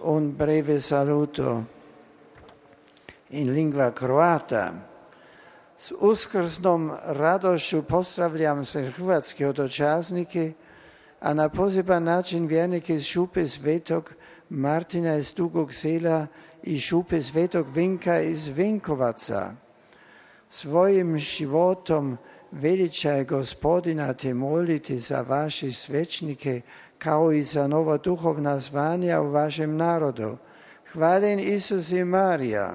Un breve saluto in lingua croata. S uskrsnom radošću pozdravljam sve hrvatske dočasnike, a na poseban način vjernike iz Šupe Svetog Martina iz Dugog Sela i Šupe Svetog Vinka iz Vinkovaca. Svojim životom veličaj Gospodina te molite za vaše svećnike kao i za nova duhovna zvanja u vašem narodu. Hvaljen Isus i Marija.